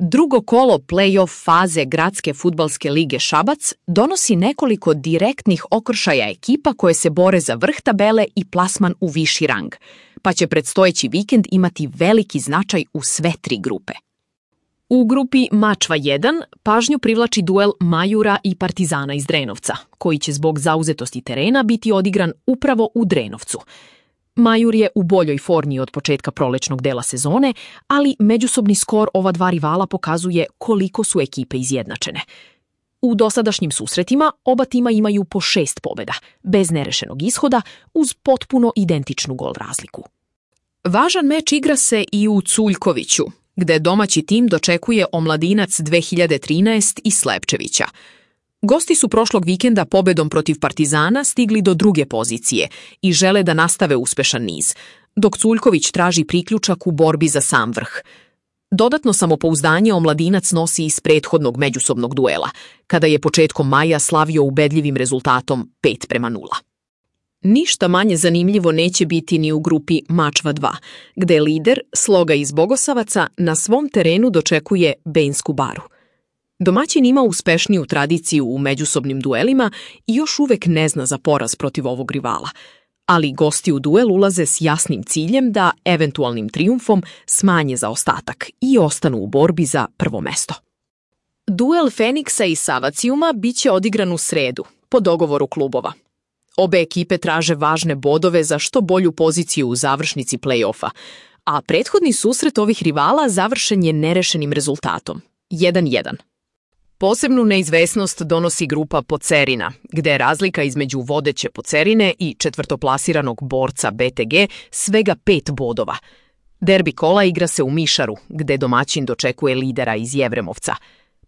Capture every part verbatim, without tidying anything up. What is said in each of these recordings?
Drugo kolo play-off faze Gradske fudbalske lige Šabac donosi nekoliko direktnih okršaja ekipa koje se bore za vrh tabele i plasman u viši rang, pa će predstojeći vikend imati veliki značaj u sve tri grupe. U grupi Mačva jedan pažnju privlači duel Majura i Partizana iz Drenovca, koji će zbog zauzetosti terena biti odigran upravo u Drenovcu. Majur je u boljoj formi od početka prolečnog dela sezone, ali međusobni skor ova dva rivala pokazuje koliko su ekipe izjednačene. U dosadašnjim susretima oba tima imaju po šest pobjeda, bez nerešenog ishoda, uz potpuno identičnu gol razliku. Važan meč igra se i u Culjkoviću, gde domaći tim dočekuje Omladinac dve hiljade trinaest iz Slepčevića. Gosti su prošlog vikenda pobedom protiv Partizana stigli do druge pozicije i žele da nastave uspešan niz, dok Culjković traži priključak u borbi za sam vrh. Dodatno samopouzdanje Omladinac nosi iz prethodnog međusobnog duela, kada je početkom maja slavio ubedljivim rezultatom pet prema nula. Ništa manje zanimljivo neće biti ni u grupi Mačva dva, gde lider, Sloga iz Bogosavaca, na svom terenu dočekuje Bensku Baru. Domaćin ima uspešniju tradiciju u međusobnim duelima i još uvek ne zna za poraz protiv ovog rivala, ali gosti u duel ulaze s jasnim ciljem da eventualnim trijumfom smanje zaostatak i ostanu u borbi za prvo mesto. Duel Feniksa i Savacijuma biće odigran u sredu, po dogovoru klubova. Obe ekipe traže važne bodove za što bolju poziciju u završnici play-offa, a prethodni susret ovih rivala završen je nerešenim rezultatom jedan jedan. Posebnu neizvesnost donosi grupa Pocerina, gde je razlika između vodeće Pocerine i četvrtoplasiranog borca B T G svega pet bodova. Derbi kola igra se u Mišaru, gde domaćin dočekuje lidera iz Jevremovca.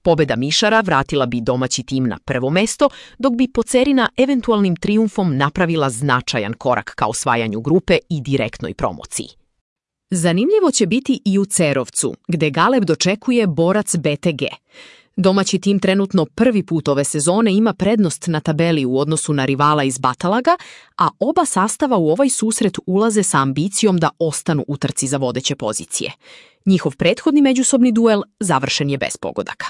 Pobeda Mišara vratila bi domaći tim na prvo mesto, dok bi Pocerina eventualnim trijumfom napravila značajan korak ka osvajanju grupe i direktnoj promociji. Zanimljivo će biti i u Cerovcu, gde Galeb dočekuje borac B T G. Domaći tim trenutno prvi put ove sezone ima prednost na tabeli u odnosu na rivala iz Batalaga, a oba sastava u ovaj susret ulaze sa ambicijom da ostanu u trci za vodeće pozicije. Njihov prethodni međusobni duel završen je bez pogodaka.